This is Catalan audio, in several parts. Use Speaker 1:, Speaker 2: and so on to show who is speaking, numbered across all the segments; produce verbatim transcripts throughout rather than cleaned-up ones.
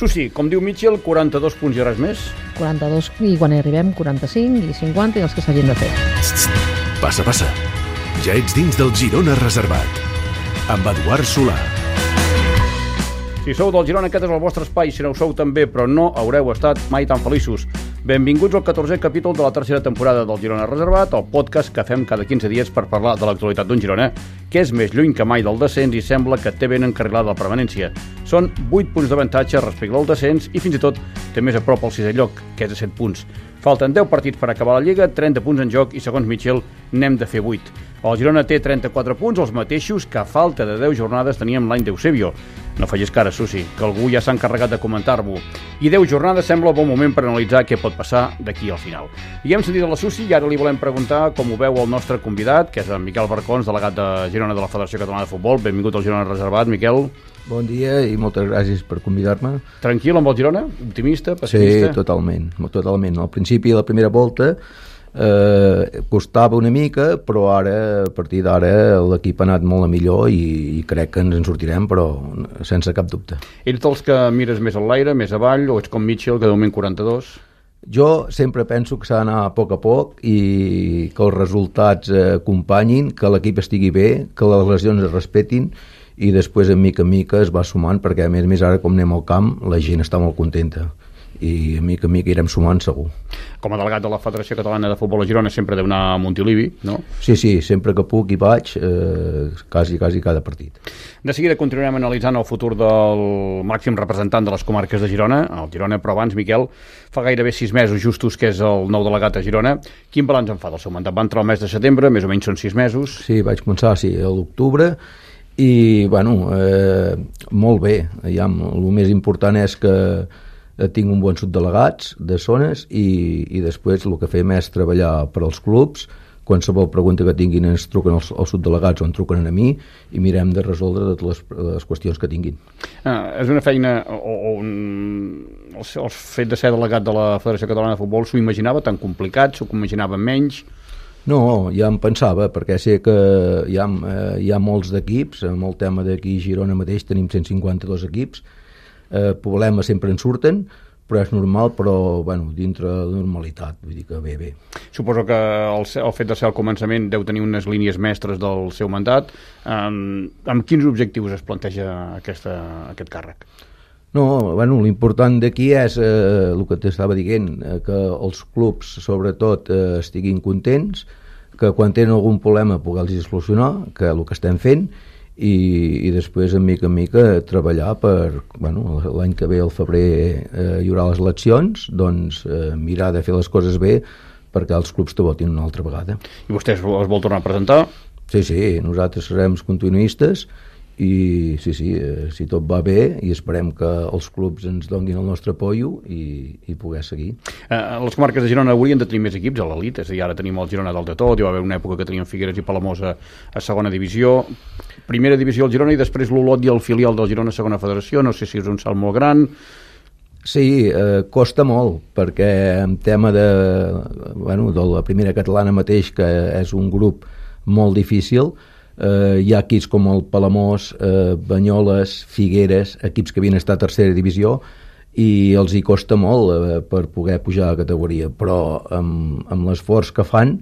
Speaker 1: Susi, com diu Mitchell, quaranta-dos punts i res més?
Speaker 2: quaranta-dos i quan hi arribem quaranta-cinc i cinquanta i els que s'hagin de fer.
Speaker 3: Passa, passa. Ja ets dins del Girona Reservat. Amb Eduard Solà.
Speaker 1: Si sou del Girona, aquest és el vostre espai. Si no ho sou també, però no haureu estat mai tan feliços. Benvinguts al catorzè capítol de la tercera temporada del Girona Reservat, el podcast que fem cada quinze dies per parlar de l'actualitat d'un Girona, que és més lluny que mai del descens i sembla que té ben encarrilada la permanència. Són vuit punts d'avantatge respecte al descens i fins i tot té més a prop el sisè lloc, que és de set punts. Falten deu partits per acabar la Lliga, trenta punts en joc i, segons Mitchell, n'hem de fer vuit. El Girona té trenta-quatre punts, els mateixos que a falta de deu jornades teníem l'any d'Eusebio. No facis cara, Susi, que algú ja s'ha encarregat de comentar-m'ho. I deu jornades sembla un bon moment per analitzar què pot passar d'aquí al final. I hem sentit a la Susi i ara li volem preguntar com ho veu el nostre convidat, que és en Miquel Barcons, delegat de Girona de la Federació Catalana de Futbol. Benvingut al Girona Reservat, Miquel.
Speaker 4: Bon dia i moltes gràcies per convidar-me.
Speaker 1: Tranquil amb el Girona? Optimista? Pessimista?
Speaker 4: Sí, totalment, totalment. Al principi, la primera volta, eh, costava una mica, però ara, a partir d'ara, l'equip ha anat molt a millor i, i crec que ens en sortirem, però sense cap dubte.
Speaker 1: Ets dels que mires més enlaire, més avall, o ets com Mitchell, que de moment quaranta-dos?
Speaker 4: Jo sempre penso que s'ha d'anar a poc a poc i que els resultats eh, acompanyin, que l'equip estigui bé, que les lesions es respetin, i després, en mica en mica, es va sumant, perquè a més a més ara, com anem al camp, la gent està molt contenta i a mica en mica irem sumant segur.
Speaker 1: Com a delegat de la Federació Catalana de Futbol a Girona sempre deu anar a Montilivi, no?
Speaker 4: Sí, sí, sempre que puc hi vaig, eh, quasi, quasi cada partit.
Speaker 1: De seguida continuarem analitzant el futur del màxim representant de les comarques de Girona, el Girona, però abans, Miquel, fa gairebé sis mesos justos que és el nou delegat a Girona. Quin balanç en fa del seu mandat? Va entrar el mes de setembre, més o menys són sis mesos.
Speaker 4: Sí, vaig començar, sí, a l'octubre, i, bueno, eh, molt bé. Ja, el més important és que tinc un bon subdelegats de zones i, i després el que fem és treballar per als clubs. Qualsevol pregunta que tinguin ens truquen els, els subdelegats o en truquen a mi i mirem de resoldre totes les, les qüestions que tinguin.
Speaker 1: Ah, és una feina on el, el fet de ser delegat de la Federació Catalana de Futbol s'ho imaginava tan complicat, s'ho imaginava menys?
Speaker 4: No, ja em pensava, perquè sé que hi ha, eh, hi ha molts d'equips, amb el tema d'aquí a Girona mateix tenim cent cinquanta-dos equips, eh, problemes sempre en surten, però és normal, però bueno, dintre de la normalitat, vull dir que bé, bé.
Speaker 1: Suposo que el, el fet de ser al començament deu tenir unes línies mestres del seu mandat. Um, amb quins objectius es planteja aquesta, aquest càrrec?
Speaker 4: No, bueno, l'important d'aquí és eh, el que t'estava dient, eh, que els clubs, sobretot, eh, estiguin contents, que quan tenen algun problema poder-los solucionar, que és el que estem fent, i, i després, en mica en mica, treballar per, bueno, l'any que ve, al febrer, eh, hi haurà les eleccions, doncs eh, mirar de fer les coses bé perquè els clubs te votin una altra vegada.
Speaker 1: I vostè es vol tornar a presentar?
Speaker 4: Sí, sí, nosaltres serem continuistes, i sí, sí, eh, si tot va bé i esperem que els clubs ens donin el nostre apoio i, i poder seguir.
Speaker 1: Eh, les comarques de Girona haurien de tenir més equips a l'elit, és a dir, ara tenim el Girona dalt de tot, hi va haver una època que teníem Figueres i Palamós a, a segona divisió, primera divisió al Girona i després l'Olot i el filial del Girona a segona federació, no sé si és un salt molt gran.
Speaker 4: Sí, eh, costa molt, perquè en tema de, bueno, de la primera catalana mateix, que és un grup molt difícil, Uh, hi ha equips com el Palamós, uh, Banyoles, Figueres, equips que havien estat a tercera divisió i els hi costa molt uh, per poder pujar a categoria, però amb, amb l'esforç que fan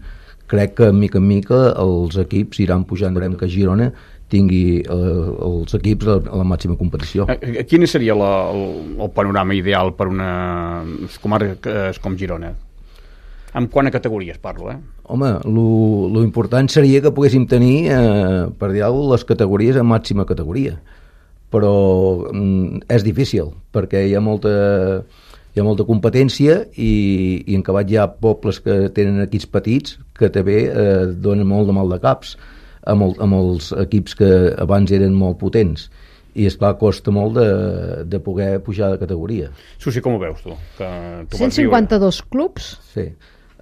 Speaker 4: crec que mica en mica els equips iran pujant. Veurem que Girona tingui uh, els equips a la màxima competició.
Speaker 1: Quin seria la, el, el panorama ideal per una comarca com Girona? En quant a categories parlo, eh?
Speaker 4: Home, lo important seria que poguéssim tenir, eh, per dir alguna cosa, les categories a màxima categoria. Però mm, és difícil, perquè hi ha molta, hi ha molta competència i, i en acabat hi ha pobles que tenen equips petits que també eh, donen molt de mal de caps amb, el, amb els equips que abans eren molt potents. I, esclar, costa molt de, de poder pujar de categoria.
Speaker 1: Susi, com ho veus, tu? Que tu
Speaker 2: cent cinquanta-dos clubs?
Speaker 4: Sí.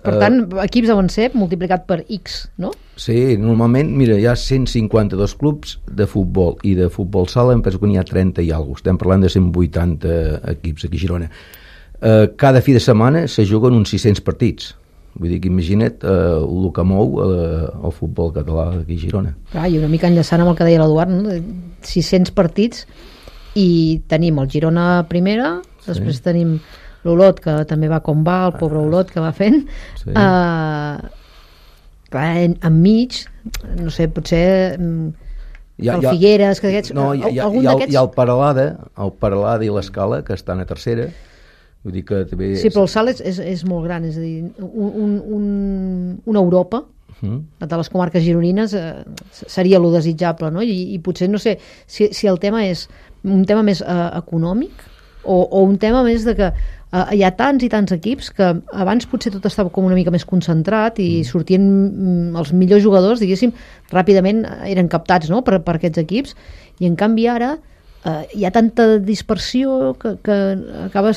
Speaker 2: Per tant, equips deuen ser multiplicat per X, no?
Speaker 4: Sí, normalment, mira, hi ha cent cinquanta-dos clubs de futbol i de futbol sala, em penso que n'hi ha trenta i alguna cosa. Estem parlant de cent vuitanta equips aquí a Girona. Eh, cada fi de setmana se juguen uns sis-cents partits. Vull dir que imagina't eh, el que mou eh, el futbol català aquí a Girona.
Speaker 2: Ah, i una mica enllaçant amb el que deia l'Eduard, no? sis-cents partits i tenim el Girona primera, sí. Després tenim l'Olot, que també va com va, el pobre Olot que va fent, sí. uh, clar, en, enmig, no sé, potser hi ha, el Figueres, que aquests,
Speaker 4: no, hi ha,
Speaker 2: algun
Speaker 4: hi ha,
Speaker 2: d'aquests...
Speaker 4: Hi ha el Paralada, el Paralada i l'Escala, que estan a tercera, vull dir que també...
Speaker 2: Sí, però el salt és, és, és molt gran, és a dir, un, un, un, una Europa, uh-huh. de les comarques gironines, eh, seria lo desitjable, no? I, i potser, no sé, si, si el tema és un tema més eh, econòmic, o, o un tema més de que uh, hi ha tants i tants equips que abans potser tot estava com una mica més concentrat i mm. sortien mm, els millors jugadors, diguéssim, ràpidament eren captats, no?, per, per aquests equips, i en canvi ara uh, hi ha tanta dispersió que, que acaba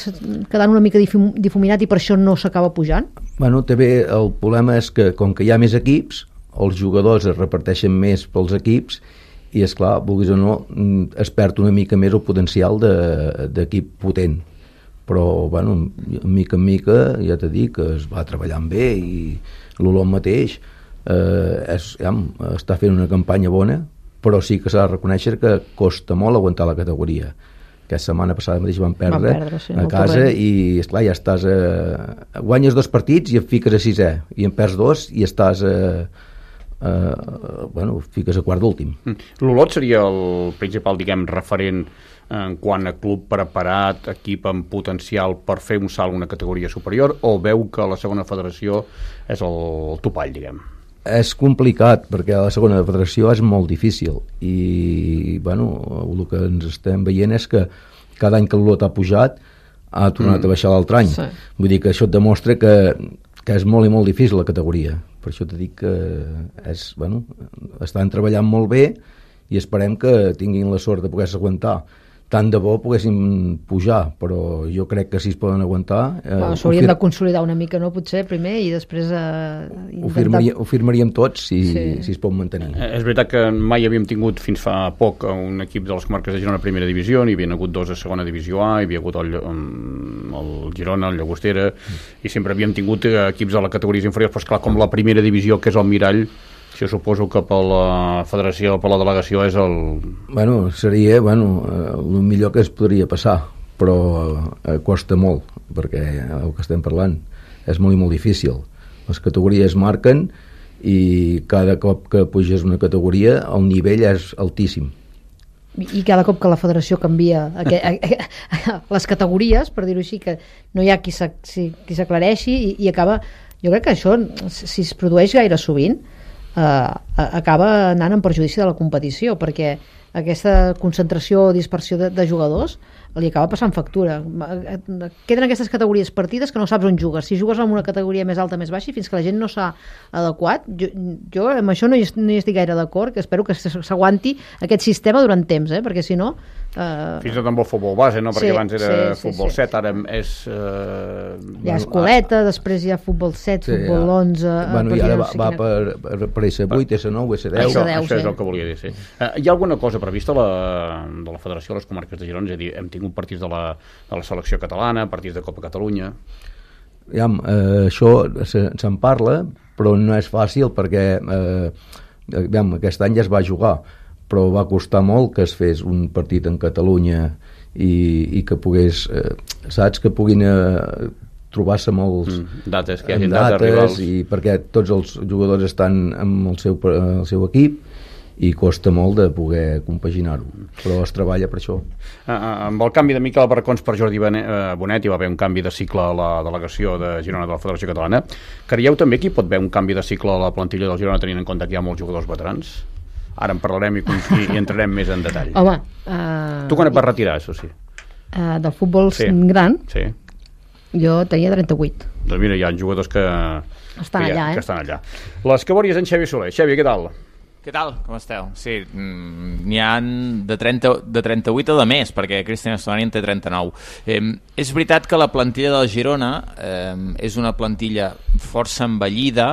Speaker 2: quedant una mica difuminat i per això no s'acaba pujant.
Speaker 4: Bueno, també el problema és que com que hi ha més equips, els jugadors es reparteixen més pels equips i, esclar, vulguis o no, es perd una mica més el potencial d'equip de, potent. Però, bueno, mica en mica, ja t'he dit que es va treballant bé i l'Olot mateix eh, és, ja, està fent una campanya bona, però sí que s'ha de reconèixer que costa molt aguantar la categoria. Aquesta setmana passada mateix van perdre, van perdre sí, a casa i, esclar, ja estàs a... guanyes dos partits i et fiques a sisè, i en perds dos i estàs a... Uh, bueno, fiques a quart d'últim.
Speaker 1: L'Olot seria el principal, diguem, referent en quant a club preparat, equip amb potencial per fer un salt a una categoria superior, o veu que la segona federació és el topall, diguem?
Speaker 4: És complicat, perquè la segona federació és molt difícil i, bueno, el que ens estem veient és que cada any que l'Olot ha pujat ha tornat mm. a baixar l'altre any. Sí. Vull dir que això et demostra que, que és molt i molt difícil la categoria. Per això t'he dit que és, bueno, estan treballant molt bé i esperem que tinguin la sort de poder-se aguantar. Tant de bo poguéssim pujar, però jo crec que si es poden aguantar...
Speaker 2: Eh, bueno, S'haurien fir... de consolidar una mica, no? Potser primer i després... Eh,
Speaker 4: intentar... ho, firmaria, ho firmaríem tots si, sí. si es pot mantenir.
Speaker 1: Eh, és veritat que mai havíem tingut fins fa poc un equip de les comarques de Girona a primera divisió, n'hi havia hagut dos a segona divisió A, hi havia hagut el, el Girona, el Llagostera, mm. i sempre havíem tingut equips de les categories inferiors, però esclar, com la primera divisió, que és el mirall, jo suposo que per la federació, per la delegació és el...
Speaker 4: Bueno, seria, bueno, el millor que es podria passar, però eh, costa molt, perquè el que estem parlant és molt i molt difícil. Les categories marquen i cada cop que puges una categoria el nivell és altíssim.
Speaker 2: I cada cop que la federació canvia aqu- les categories, per dir-ho així, que no hi ha qui s'aclareixi i, i acaba... Jo crec que això, si es produeix gaire sovint, Uh, acaba anant en perjudici de la competició, perquè aquesta concentració o dispersió de, de jugadors li acaba passant factura. Queden aquestes categories partides que no saps on jugues. Si jugues en una categoria més alta, més baixa, i fins que la gent no s'ha adequat, jo, jo amb això no hi, no hi estic gaire d'acord, que espero que s'aguanti aquest sistema durant temps, eh? Perquè si no... Uh...
Speaker 1: Fins i tot amb el futbol base, no? Perquè
Speaker 2: sí,
Speaker 1: abans era
Speaker 2: sí,
Speaker 1: futbol
Speaker 2: sí,
Speaker 1: set,
Speaker 2: sí.
Speaker 1: ara és... Uh...
Speaker 2: Hi ha escoleta, després hi ha futbol set, sí, futbol ja. onze...
Speaker 4: Bueno, i ara va, va per, per, per S vuit, S nou, S deu...
Speaker 1: Això, deu, això sí. és el que volia dir, sí. Uh, hi ha alguna cosa prevista la, de la Federació de les Comarques de Girona? És a dir, hem tingut partits de la, de la selecció catalana, partits de Copa Catalunya...
Speaker 4: Ja, eh, això se, se'n parla, però no és fàcil perquè eh, ja, aquest any ja es va jugar, però va costar molt que es fes un partit en Catalunya i, i que pogués, eh, saps, que puguin eh, trobar-se amb els
Speaker 1: mm, dates, que hi hagi
Speaker 4: dates,
Speaker 1: dates rivals.
Speaker 4: I perquè tots els jugadors estan amb el seu, el seu equip i costa molt de poder compaginar-ho, però es treballa per això.
Speaker 1: Uh, amb el canvi de Miquel Barracons per Jordi Bonet hi va haver un canvi de cicle a la delegació de Girona de la Federació Catalana. Creieu també que hi pot haver un canvi de cicle a la plantilla del Girona tenint en compte que hi ha molts jugadors veterans? Ara en parlarem i, i, i entrarem més en detall.
Speaker 2: Home, uh,
Speaker 1: tu quan et vas retirar, això sí?
Speaker 2: Uh, del futbol sí. gran?
Speaker 1: Sí.
Speaker 2: Jo tenia trenta-vuit.
Speaker 1: Doncs mira, hi ha jugadors que
Speaker 2: estan,
Speaker 1: que,
Speaker 2: allà,
Speaker 1: ha,
Speaker 2: eh?
Speaker 1: que estan allà. Les cabòries en Xavi Soler. Xavi, què tal?
Speaker 5: Què tal? Com esteu? Sí, n'hi ha de, trenta, de trenta-vuit o de més, perquè Cristian Estonani en té trenta-nou. Eh, és veritat que la plantilla del Girona eh, és una plantilla força envellida,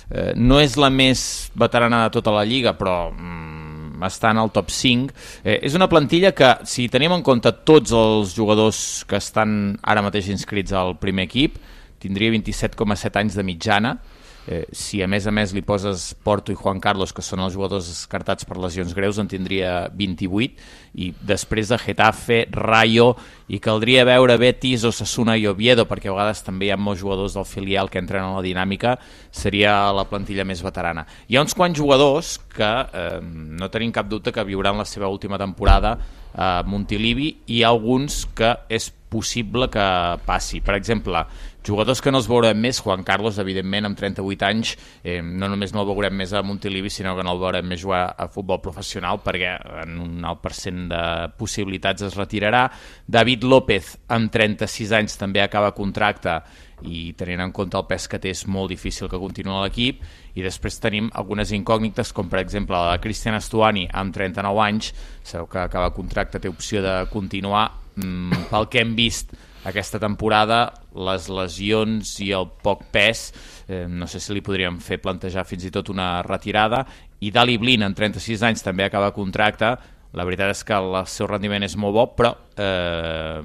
Speaker 5: eh, no és la més veterana de tota la Lliga, però mm, està en el top cinc. Eh, és una plantilla que, si tenim en compte tots els jugadors que estan ara mateix inscrits al primer equip, tindria vint-i-set coma set anys de mitjana, Eh, si a més a més li poses Porto i Juan Carlos, que són els jugadors descartats per lesions greus, en tindria vint-i-vuit, i després de Getafe, Rayo, i caldria veure Betis, Osasuna i Oviedo, perquè a vegades també hi ha molts jugadors del filial que entren en la dinàmica, seria la plantilla més veterana. Hi ha uns quants jugadors que eh, no tenim cap dubte que viuran la seva última temporada a Montilivi, i hi ha alguns que és possible que passi. Per exemple, jugadors que no els veurem més, Juan Carlos, evidentment, amb trenta-vuit anys, eh, no només no el veurem més a Montilivi, sinó que no el veurem més jugar a futbol professional, perquè en un alt percent de possibilitats es retirarà. David López, amb trenta-sis anys, també acaba contracte, i tenint en compte el pes que té és molt difícil que continuï a l'equip. I després tenim algunes incògnites, com per exemple la de Cristian Stuani, amb trenta-nou anys, sabeu que acaba contracte, té opció de continuar. Mm, pel que hem vist aquesta temporada, les lesions i el poc pes, eh, no sé si li podríem fer plantejar fins i tot una retirada. I Dali Blin, amb trenta-sis anys, també acaba contracte. La veritat és que el seu rendiment és molt bo, però eh,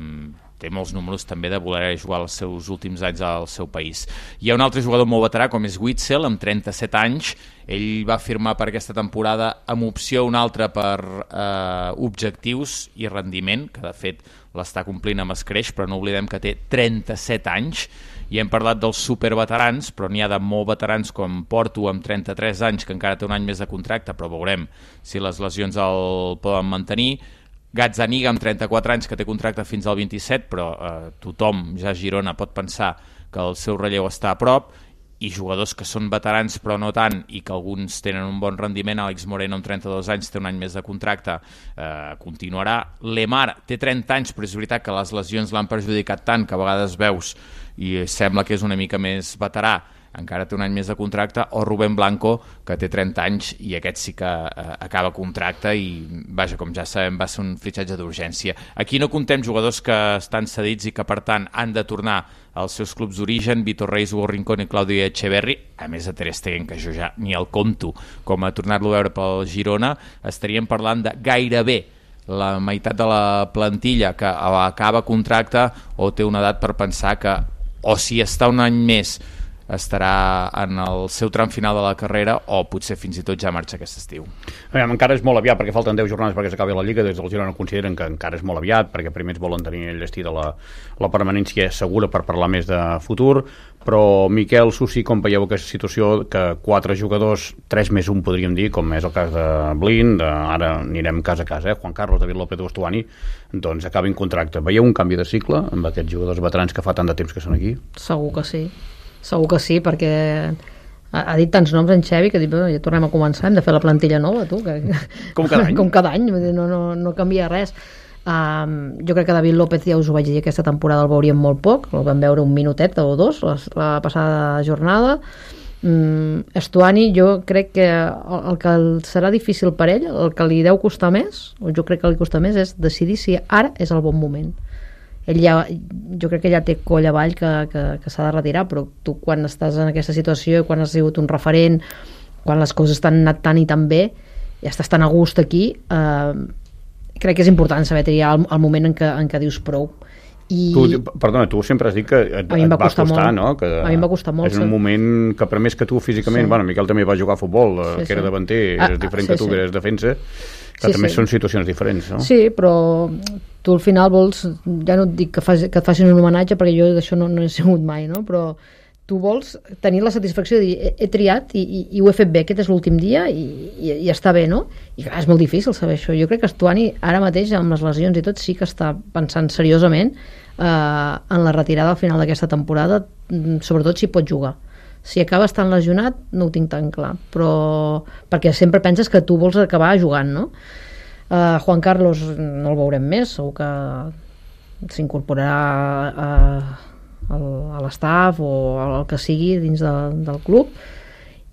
Speaker 5: té molts números també de voler jugar els seus últims anys al seu país. Hi ha un altre jugador molt veterà, com és Witzel, amb trenta-set anys. Ell va firmar per aquesta temporada amb opció una altra per eh, objectius i rendiment, que de fet l'està complint amb escreix, però no oblidem que té trenta-set anys. I hem parlat dels superveterans, però n'hi ha de molt veterans com Porto, amb trenta-tres anys, que encara té un any més de contracte, però veurem si les lesions el poden mantenir. Gazzaniga, amb trenta-quatre anys, que té contracte fins al vint-i-set, però eh, tothom, ja a Girona, pot pensar que el seu relleu està a prop. I jugadors que són veterans però no tant, i que alguns tenen un bon rendiment. Àlex Moreno, amb trenta-dos anys, té un any més de contracte, eh, continuarà. Lemar té trenta anys, però és veritat que les lesions l'han perjudicat tant que a vegades veus i sembla que és una mica més veterà, encara té un any més de contracte. O Rubén Blanco, que té trenta anys i aquest sí que eh, acaba contracte, i vaja, com ja sabem, va ser un fitxatge d'urgència. Aquí no contem jugadors que estan cedits i que per tant han de tornar als seus clubs d'origen, Vitor Reis, Hugo Rincón i Claudio Echeverri, a més de Ter Stegen, que jo ja ni el compto com a tornar-lo a veure pel Girona. Estaríem parlant de gairebé la meitat de la plantilla que acaba contracte o té una edat per pensar que, o si està un any més, estarà en el seu tram final de la carrera, o potser fins i tot ja marxa aquest estiu.
Speaker 1: Aviam, encara és molt aviat, perquè falten deu jornades perquè s'acabi la Lliga. Des del Girona consideren que encara és molt aviat, perquè primer volen tenir enllestida la, la permanència segura per parlar més de futur. Però, Miquel, Susi, com veieu aquesta situació que quatre jugadors, tres més un podríem dir, com és el cas de Blin, de, ara anirem cas a cas, eh? Juan Carlos, David López, Ostuani, doncs acabin contracte. Veieu un canvi de cicle amb aquests jugadors veterans que fa tant de temps que són aquí?
Speaker 2: Segur que sí. Segur que sí, perquè ha, ha dit tants noms en Xevi que dic, ja tornem a començar, hem de fer la plantilla nova, tu. Que...
Speaker 1: Com cada any.
Speaker 2: Com cada any, no, no, no canvia res. Um, jo crec que David López, ja us ho vaig dir, aquesta temporada el veuríem molt poc, el vam veure un minutet o dos la, la passada jornada. um, Estuani, jo crec que el, el que serà difícil per ell, el que li deu costar més, o jo crec que li costa més, és decidir si ara és el bon moment. Ell ja, jo crec que ja té coll avall que, que, que s'ha de retirar, però tu quan estàs en aquesta situació, quan has sigut un referent, quan les coses t'han anat tan i tan bé, ja estàs tan a gust aquí, eh, crec que és important saber triar el, el moment en què, en què dius prou. I...
Speaker 1: Tu, perdona, tu sempre has dit que et, et va costar,
Speaker 2: molt.
Speaker 1: no? Que
Speaker 2: a mi em va costar molt.
Speaker 1: És un moment que, per més que tu físicament, sí. Bueno, Miquel també va jugar a futbol, sí, que era sí. davanter, ah, és diferent ah, sí, que tu, sí. que eres defensa, que sí, també sí. són situacions diferents, no?
Speaker 2: Sí, però tu al final vols, ja no et dic que, fas, que et facin un homenatge, perquè jo d'això no, no he sigut mai, no? Però tu vols tenir la satisfacció de dir, he, he triat i, i, i ho he fet bé, aquest és l'últim dia i, i, i està bé, no? I clar, és molt difícil saber això. Jo crec que Estuani ara mateix, amb les lesions i tot, sí que està pensant seriosament eh, en la retirada al final d'aquesta temporada, sobretot si pot jugar. Si acaba estant lesionat, no ho tinc tan clar, però perquè sempre penses que tu vols acabar jugant, no? Uh, Juan Carlos no el veurem més, segur que s'incorporarà a, a, a l'estaf o el que sigui dins de, del club,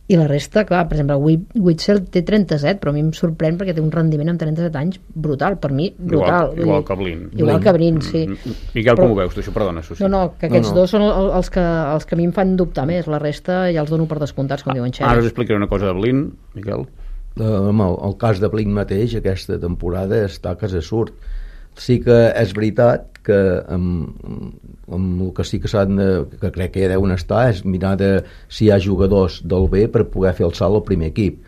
Speaker 2: i la resta, clar, per exemple Witzel té trenta-set, però a mi em sorprèn perquè té un rendiment amb trenta-set anys brutal, per mi brutal.
Speaker 1: Igual, igual que Blin.
Speaker 2: Igual que Blin, sí.
Speaker 1: Miquel, però, com ho veus? Això, perdona, Susi.
Speaker 2: No, no, que aquests
Speaker 1: no, no.
Speaker 2: dos són els que, els que a mi em fan dubtar més, la resta ja els dono per descomptats, com ah, diuen Xevi.
Speaker 1: Ara us explicaré una cosa de Blin, Miquel.
Speaker 4: Uh, el, el cas de Blin mateix aquesta temporada està que se surt. Sí que és veritat que amb, amb el que sí que s'han de, que crec que ja deuen estar, és mirar de si hi ha jugadors del B per poder fer el salt al primer equip.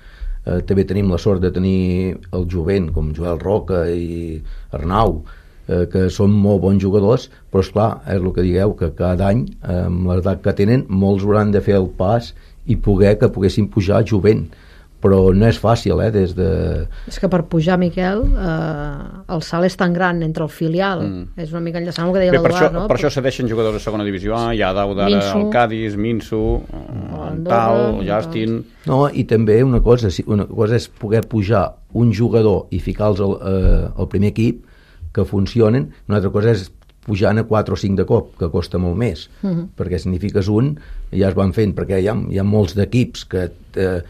Speaker 4: Eh, també tenim la sort de tenir el jovent, com Joel Roca i Arnau, eh, que són molt bons jugadors, però esclar, és el que digueu, que cada any, eh, amb l'edat que tenen, molts hauran de fer el pas i poder que poguessin pujar jovent, però no és fàcil, eh, des de...
Speaker 2: És que per pujar, Miquel, eh, el salt és tan gran entre el filial, mm. és una mica enllaçant el que deia l'Eduard, no?
Speaker 1: Per això cedeixen jugadors de segona divisió A, hi ha Dau d'ara, el Cádiz, Minso, en Tal, Justin...
Speaker 4: No, i també una cosa, una cosa és poder pujar un jugador i ficar-los al, eh, al primer equip, que funcionen, una altra cosa és pujant a quatre o cinc de cop, que costa molt més, uh -huh. perquè si n'hi fiques un ja es van fent, perquè hi ha, hi ha molts d'equips que eh,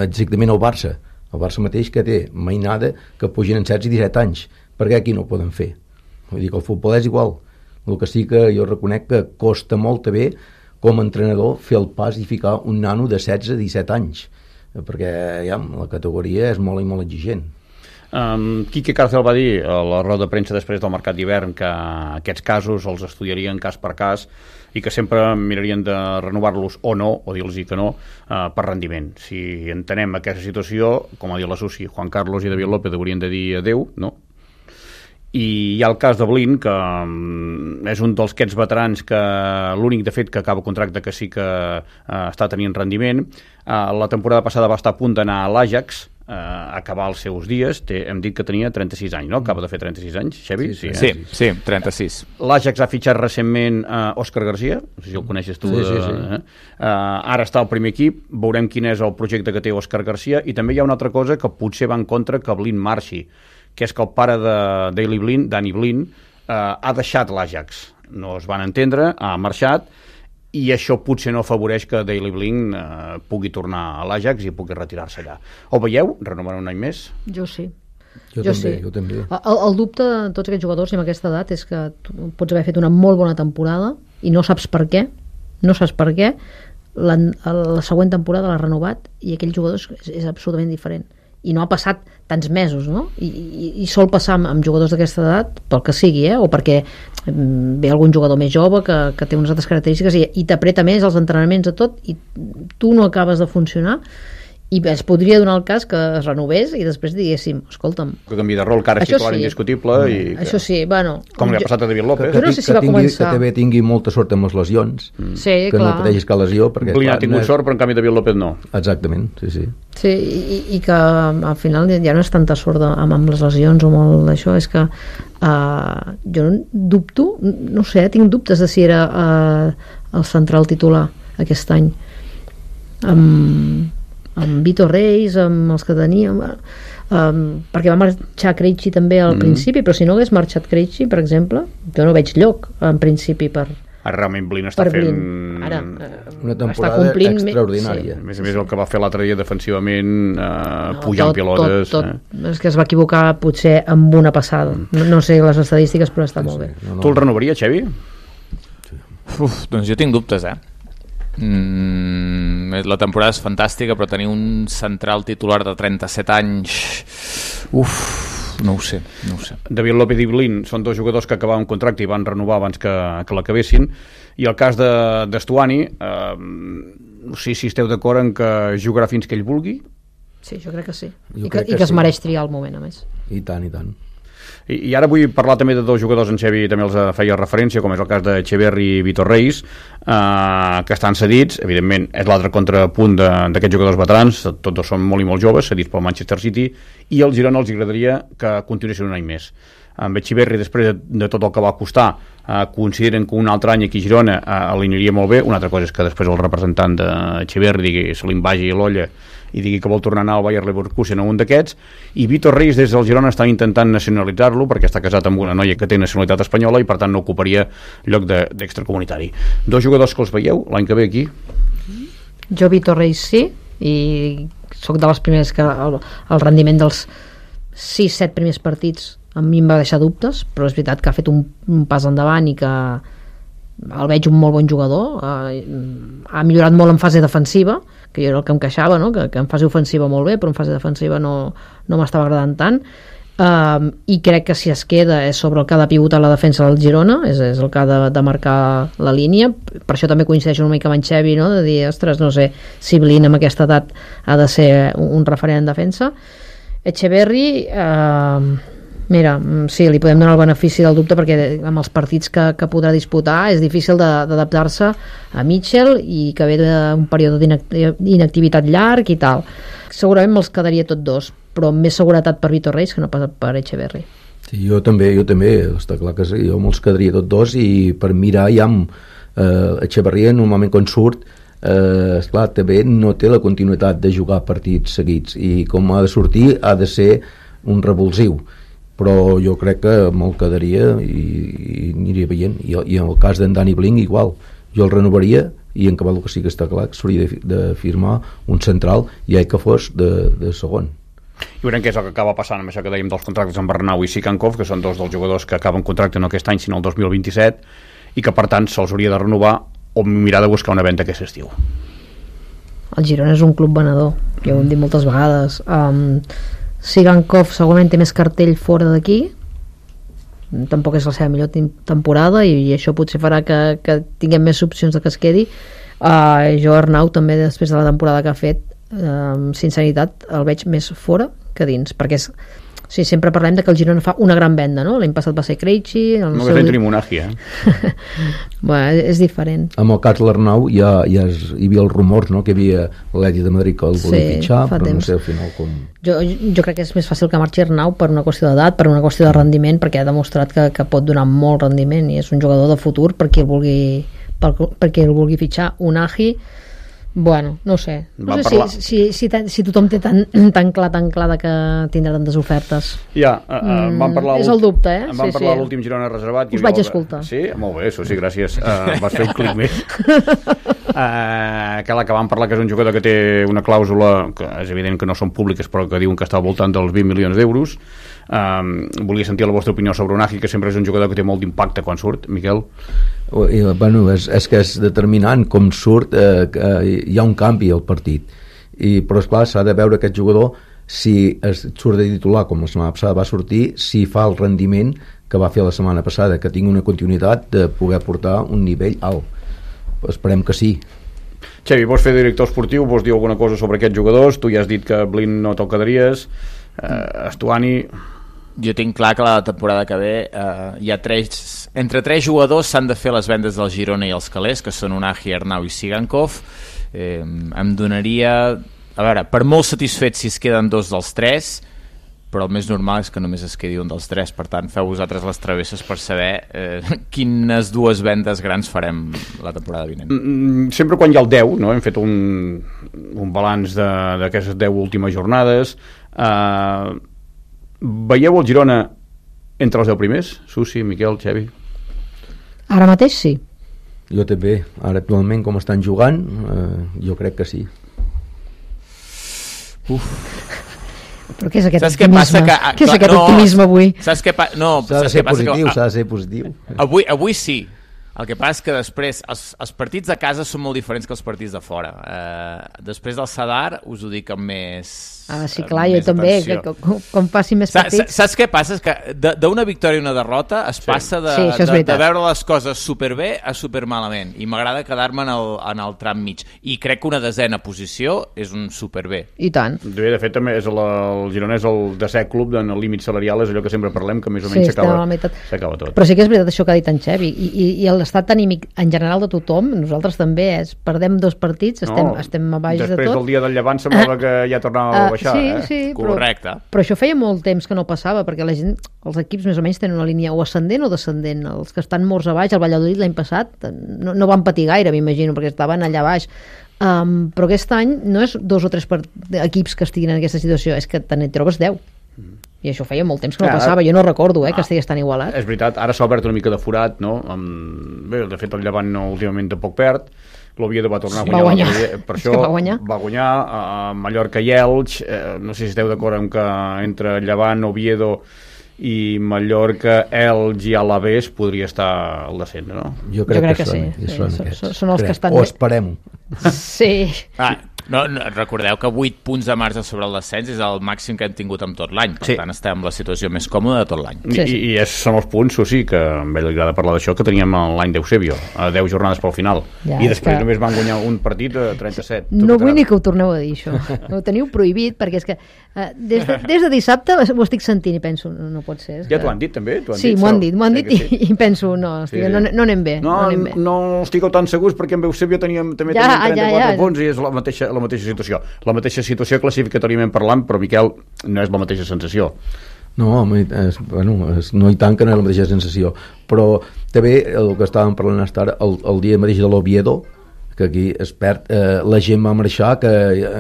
Speaker 4: exactament el Barça el Barça mateix que té mainada que pugen en setze i disset anys, perquè aquí no ho poden fer, vull dir que el futbol és igual, el que sí que jo reconec que costa molt també com a entrenador fer el pas i ficar un nano de setze a disset anys, perquè ja, la categoria és molt i molt exigent.
Speaker 1: Um, Quique Cárcel va dir a la roda de premsa després del mercat d'hivern que aquests casos els estudiarien cas per cas i que sempre mirarien de renovar-los o no, o dir-los que no, uh, per rendiment. Si entenem aquesta situació, com ha dit la Susi, Juan Carlos i David López haurien de dir adeu, no? I hi ha el cas de Blin, que um, és un dels aquests veterans que l'únic de fet que acaba contracte que sí que uh, està tenint rendiment. Uh, la temporada passada va estar a punt d'anar a l'Ajax, Uh, acabar els seus dies, té, hem dit que tenia trenta-sis anys, no? Acaba de fer trenta-sis anys, Xevi?
Speaker 5: Sí, sí, sí, sí, trenta-sis.
Speaker 1: L'Ajax ha fitxat recentment uh, Òscar Garcia, no sé si el coneixes tu.
Speaker 4: Sí, sí, sí.
Speaker 1: Uh, uh, ara està al primer equip, veurem quin és el projecte que té Òscar Garcia, i també hi ha una altra cosa que potser va en contra que Blin marxi, que és que el pare de Daley Blind, Danny Blind, uh, ha deixat l'Ajax. No es van entendre, ha marxat, i això potser no afavoreix que Daley Blind eh, pugui tornar a l'Ajax i pugui retirar-se allà. Ho veieu? Renovar un any més?
Speaker 2: Jo sí.
Speaker 4: Jo,
Speaker 2: jo
Speaker 4: també,
Speaker 2: sí.
Speaker 4: jo també.
Speaker 2: El, el dubte de tots aquests jugadors amb aquesta edat és que tu pots haver fet una molt bona temporada i no saps per què, no saps per què, la, la següent temporada l'ha renovat i aquell jugador és, és absolutament diferent. I no ha passat tants mesos, no? I, i, i sol passar amb, amb jugadors d'aquesta edat, pel que sigui, eh? O perquè ve algun jugador més jove que, que té unes altres característiques i, i t'apreta més els entrenaments a tot i tu no acabes de funcionar i es podria donar el cas que es renovés i després diguéssim, escolta'm,
Speaker 1: que canvi de rol, que ara és titular
Speaker 2: sí.
Speaker 1: indiscutible i que,
Speaker 2: això sí, bueno,
Speaker 1: com li ha passat a David López,
Speaker 4: que, que,
Speaker 2: no sé si
Speaker 4: que,
Speaker 2: va
Speaker 4: tingui,
Speaker 2: començar.
Speaker 4: que també tingui molta sort amb les lesions,
Speaker 2: mm. sí,
Speaker 4: que
Speaker 2: clar.
Speaker 4: no pateixis cap lesió perquè,
Speaker 1: Blin
Speaker 4: clar,
Speaker 1: ha tingut
Speaker 4: no és...
Speaker 1: sort però en canvi David López no.
Speaker 4: Exactament, sí, sí.
Speaker 2: Sí, i, i que al final ja no és tanta sort de, amb, amb les lesions o molt d'això, és que uh, jo dubto, no sé, tinc dubtes de si era uh, el central titular aquest any amb, amb Vito Reis, amb els que teníem, um, perquè va marxar Krejci també al mm. principi, però si no hagués marxat Krejci, per exemple, jo no veig lloc en principi per
Speaker 1: Ara realment Blin està fent
Speaker 2: Ara,
Speaker 4: una temporada extraordinària.
Speaker 1: Sí. A més a més el que va fer l'altre dia defensivament, eh,
Speaker 2: no,
Speaker 1: pujant
Speaker 2: tot,
Speaker 1: pilotes.
Speaker 2: Tot, tot.
Speaker 1: Eh?
Speaker 2: És que es va equivocar potser amb una passada. No, no sé les estadístiques, però està sí, molt bé.
Speaker 4: Sí. No, no.
Speaker 1: Tu el renovaries, Xevi?
Speaker 5: Uf, doncs jo tinc dubtes, eh? Mm, la temporada és fantàstica, però tenir un central titular de trenta-set anys, uf, no ho sé, no ho sé.
Speaker 1: David López i Blin són dos jugadors que acabaven contracte i van renovar abans que, que l'acabessin, i el cas d'Estuani, de, eh, no sé si esteu d'acord en que jugarà fins que ell vulgui.
Speaker 2: Sí, jo crec que sí,
Speaker 4: jo
Speaker 2: i que,
Speaker 4: que
Speaker 2: i que
Speaker 4: sí.
Speaker 2: es mereix triar el moment, a més.
Speaker 4: I tant, i tant.
Speaker 1: I, i ara vull parlar també de dos jugadors, en Xevi també els feia referència, com és el cas de Echeverri i Vitor Reis, eh, que estan cedits, evidentment és l'altre contrapunt d'aquests jugadors veterans, tots dos són molt i molt joves, cedits pel Manchester City, i al Girona els agradaria que continuessin un any més. Amb Echeverri, després de, de tot el que va costar, eh, consideren que un altre any aquí a Girona eh, l'aniria molt bé. Una altra cosa és que després el representant d'Echeverri digui, se li vagi l'olla i digui que vol tornar a anar al Bayer Leverkusen a un d'aquests, i Vitor Reis des del Girona estan intentant nacionalitzar-lo perquè està casat amb una noia que té nacionalitat espanyola i per tant no ocuparia lloc d'extracomunitari. Dos jugadors que els veieu l'any que ve aquí?
Speaker 2: Jo Vitor Reis sí, i sóc de les primeres que el, el rendiment dels sis set primers partits a mi em va deixar dubtes, però és veritat que ha fet un, un pas endavant i que el veig un molt bon jugador, eh, ha millorat molt en fase defensiva, que jo era el que em queixava, no? que, que en fase ofensiva molt bé, però en fase defensiva no, no m'estava agradant tant. Um, i crec que si es queda és sobre el que ha de pivotar la defensa del Girona, és, és el que ha de, de marcar la línia. Per això també coincideixo una mica amb en Xevi, no? De dir, ostres, no sé si Blin amb aquesta edat ha de ser un, un referent en defensa. Echeverri, uh, mira, sí, li podem donar el benefici del dubte perquè amb els partits que, que podrà disputar és difícil d'adaptar-se a Mitchell i que ve d'un període d'inactivitat llarg i tal. Segurament me'ls quedaria tots dos, però amb més seguretat per Vitor Reis que no pas per Echeverri.
Speaker 4: Sí, jo també, jo també, està clar que sí, jo me'ls quedaria tots dos i per mirar ja amb eh, Echeverri normalment quan surt eh, esclar, també no té la continuïtat de jugar partits seguits i com ha de sortir ha de ser un revulsiu, però jo crec que me'l quedaria i, i aniria veient, i, i en el cas d'en Dani Blin igual, jo el renovaria i en cabal que sí que està clar que s'hauria de, de firmar un central i que fos de, de segon.
Speaker 1: I veurem què és el que acaba passant amb això que dèiem dels contractes amb Bernau i Sikankov, que són dos dels jugadors que acaben contracte no aquest any sinó el dos mil vint-i-set i que per tant se'ls hauria de renovar o mirar de buscar una venda aquest estiu.
Speaker 2: El Girona és un club venedor, ja ho hem dit moltes vegades. um, Sikankov segurament té més cartell fora d'aquí, tampoc és la seva millor temporada i, i això potser farà que, que tinguem més opcions de que es quedi. uh, jo Arnau també després de la temporada que ha fet amb sinceritat el veig més fora que dins, perquè és, o sigui, sempre parlem de que el Girona fa una gran venda, no? L'any passat va ser Krejci,
Speaker 1: no
Speaker 2: seu...
Speaker 1: que tenim Monagi, eh?
Speaker 2: bueno, és diferent.
Speaker 4: Amb el cas l'Arnau ja, ja es, hi havia els rumors, no? Que hi havia l'Atlètic de Madrid que el volia sí, fitxar, però temps. No sé al final com... Jo,
Speaker 2: jo crec que és més fàcil que marxi Arnau per una qüestió d'edat, per una qüestió de rendiment, perquè ha demostrat que, que pot donar molt rendiment i és un jugador de futur per qui el vulgui, per, per qui el vulgui fitxar. Unagi, bueno, no sé, no sé si, si, si, si tothom té tan, tan clar tan clar que tindrà tantes ofertes.
Speaker 1: Ja, uh, uh, vam parlar
Speaker 2: és el dubte, eh?
Speaker 1: Em vam
Speaker 2: sí,
Speaker 1: parlar
Speaker 2: sí.
Speaker 1: l'últim Girona reservat.
Speaker 2: Us vaig el... escoltar.
Speaker 1: Sí? Molt bé, això sí, gràcies. Uh, vas fer un clic més. Uh, que la que vam parlar que és un jugador que té una clàusula que és evident que no són públiques però que diuen que està al voltant dels vint milions d'euros. Um, volia sentir la vostra opinió sobre Unagi, que sempre és un jugador que té molt d'impacte quan surt. Miquel?
Speaker 4: Bueno, és, és que és determinant com surt, eh, que hi ha un canvi al partit I, però esclar s'ha de veure aquest jugador si es surt de titular com la setmana passada va sortir, si fa el rendiment que va fer la setmana passada, que tingui una continuïtat de poder portar un nivell alt. Esperem que sí.
Speaker 1: Xevi, vols fer director esportiu? Vols dir alguna cosa sobre aquests jugadors? Tu ja has dit que Blin no te'l quedaries. eh, Estuani...
Speaker 5: Jo tinc clar que la temporada que ve eh, hi ha tres, entre tres jugadors s'han de fer les vendes del Girona i els calés, que són Unagi, Arnau i Sikankov. eh, em donaria, a veure, per molt satisfet si es queden dos dels tres, però el més normal és que només es quedi un dels tres. Per tant, feu vosaltres les travesses per saber eh, quines dues vendes grans farem la temporada vinent.
Speaker 1: Sempre quan hi ha el deu, no? Hem fet un, un balanç d'aquestes deu últimes jornades. eh, Veieu el Girona entre els deu primers? Susi, Miquel, Xevi?
Speaker 2: Ara mateix sí.
Speaker 4: Jo també. Ara actualment com estan jugant, eh, jo crec que sí.
Speaker 5: Uf.
Speaker 2: Però què és aquest
Speaker 5: saps
Speaker 2: optimisme?
Speaker 5: Què, passa que,
Speaker 2: què és
Speaker 5: clar,
Speaker 2: aquest
Speaker 5: no,
Speaker 2: optimisme avui?
Speaker 5: Saps què pa... no,
Speaker 4: s'ha de
Speaker 5: saps
Speaker 4: ser
Speaker 5: què passa
Speaker 4: positiu,
Speaker 5: que,
Speaker 4: s'ha de ser positiu.
Speaker 5: Avui, avui sí. El que passa és que després els, els partits de casa són molt diferents que els partits de fora. Eh, després del Sadar us ho dic amb més...
Speaker 2: Ah, sí, clar, jo també, que, que, com, com passi més partits...
Speaker 5: Saps, saps què passa? És que d'una victòria i una derrota es sí. passa de,
Speaker 2: sí,
Speaker 5: de, de veure les coses superbé a supermalament, i m'agrada quedar-me en, el, en el tram mig, i crec que una desena posició és un superbé.
Speaker 2: I tant.
Speaker 1: De fet, també és el, el Girona és el desè club en el límit salarial, és allò que sempre parlem, que més o menys s'acaba
Speaker 2: sí,
Speaker 1: tot.
Speaker 2: Però sí que és veritat això que ha dit en Xevi, i, i, i l'estat anímic en general de tothom, nosaltres també, és, perdem dos partits, estem, no, estem a baix de tot.
Speaker 1: Després del dia del Llevant semblava que ja tornava a baixar.
Speaker 2: Sí,
Speaker 1: eh?
Speaker 2: sí, però,
Speaker 5: correcte.
Speaker 2: Però això feia molt temps que no passava, perquè la gent, els equips més o menys tenen una línia o ascendent o descendent. Els que estan morts a baix, el Valladolid l'any passat no, no van patir gaire, m'imagino, perquè estaven allà baix. Um, però aquest any no és dos o tres per... equips que estiguin en aquesta situació, és que te'n trobes deu. I això feia molt temps que no passava, jo no recordo eh, que estigués tan igualat.
Speaker 1: És veritat, ara s'ha obert una mica de forat, no? Amb... Bé, de fet el Llevant no, últimament tampoc perd, l'Oviedo va tornar
Speaker 2: sí,
Speaker 1: a guanyar,
Speaker 2: va guanyar.
Speaker 1: per això
Speaker 2: va guanyar,
Speaker 1: va guanyar a Mallorca i Elx, eh, no sé si esteu d'acord amb que entre Llevant, Oviedo i Mallorca, Elx i Alavés podria estar al descent, no?
Speaker 4: Jo crec, jo crec que, que
Speaker 2: sí,
Speaker 4: són,
Speaker 2: sí,
Speaker 4: són,
Speaker 2: són, són els
Speaker 4: crec.
Speaker 2: que estan...
Speaker 4: O esperem-ho.
Speaker 2: Sí.
Speaker 5: Ah, No, no, recordeu que vuit punts de marge sobre el descens és el màxim que hem tingut en tot l'any, per sí. tant estem en la situació més còmoda de tot l'any.
Speaker 1: Sí, sí. I, i és, són els punts, o sí, que a ell li agrada parlar d'això, que teníem l'any d'Eusebio, a deu jornades pel final, ja, i després que... només van guanyar un partit a trenta-set.
Speaker 2: No vull ni que ho torneu a dir, això. Ho teniu prohibit, perquè és que uh, des, de, des de dissabte ho estic sentint i penso, no, no pot ser.
Speaker 1: Ja
Speaker 2: que...
Speaker 1: t'ho han dit, també?
Speaker 2: Sí, m'ho han dit, m'ho han dit sí, i, i penso, no, estic, sí. no, no anem bé.
Speaker 1: No,
Speaker 2: no, anem bé.
Speaker 1: no estigueu tan segurs, perquè amb Eusebio teníem, també
Speaker 2: ja,
Speaker 1: teníem trenta-quatre
Speaker 2: ja, ja.
Speaker 1: punts i és la mateixa, la mateixa situació. La mateixa situació classificatòriament parlant, però Miquel, no és la mateixa sensació.
Speaker 4: No, és, bueno, és, no hi tant que no és la mateixa sensació, però també el que estàvem parlant ara, el, el dia mateix de l'Oviedo, que aquí es perd, eh, la gent va marxar, que,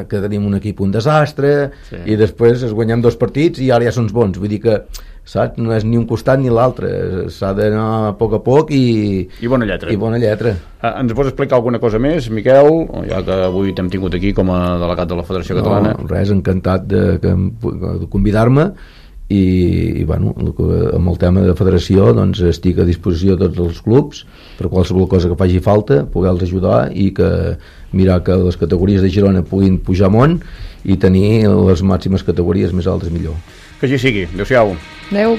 Speaker 4: que tenim un equip un desastre, sí. i després es guanyem dos partits i ara ja són bons, vull dir que saps? No és ni un costat ni l'altre, s'ha d'anar a poc a poc i,
Speaker 1: I bona lletra.
Speaker 4: I bona lletra.
Speaker 1: Ah, ens pots explicar alguna cosa més, Miquel, ja que avui t'hem tingut aquí com a delegat de la Federació
Speaker 4: no,
Speaker 1: Catalana?
Speaker 4: Res, encantat de, de convidar-me i, i bueno, amb el tema de federació doncs estic a disposició de tots els clubs per qualsevol cosa que faci falta, poder-los ajudar i que mirar que les categories de Girona puguin pujar amunt i tenir les màximes categories més altes millor.
Speaker 1: Que així sigui. Adéu-siau.
Speaker 2: Adéu.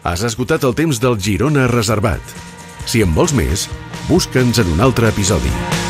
Speaker 3: Has esgotat el temps del Girona Reservat. Si en vols més, busca'ns en un altre episodi.